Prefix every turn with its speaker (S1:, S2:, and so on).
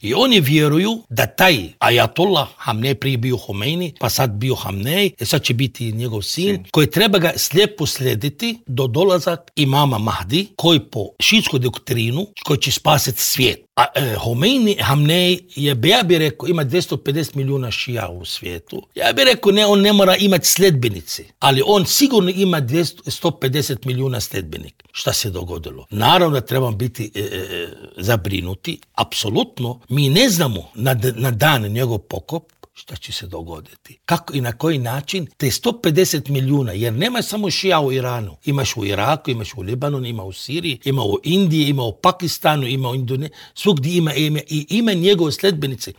S1: I oni vjeruju da taj Ajatollah, Hamnej prije bio Homeini, pa sad bio Hamnej, sad će biti njegov sin, koji treba ga slijepo slijediti do dolazak imama Mahdi, koji po šiitskoj doktrinu, koji će spasiti svijet. A Homeini, Hamnej, ja bi rekao, ima 250 milijuna šija u svijetu. Ja bi rekao, ne, on ne mora imati sljedbenici, ali on sigurno ima 150 milijuna sljedbenika. Šta se dogodilo? Naravno da trebamo biti zabrinuti. Apsolutno, mi ne znamo na dan njegov pokop šta će se dogoditi. Kako i na koji način te 150 milijuna, jer nema samo šija u Iranu. Imaš u Iraku, imaš u Libanonu, ima u Siriji, ima u Indiji, ima u Pakistanu, ima u Indoneziji, svugdje ima njegove sljedbenice.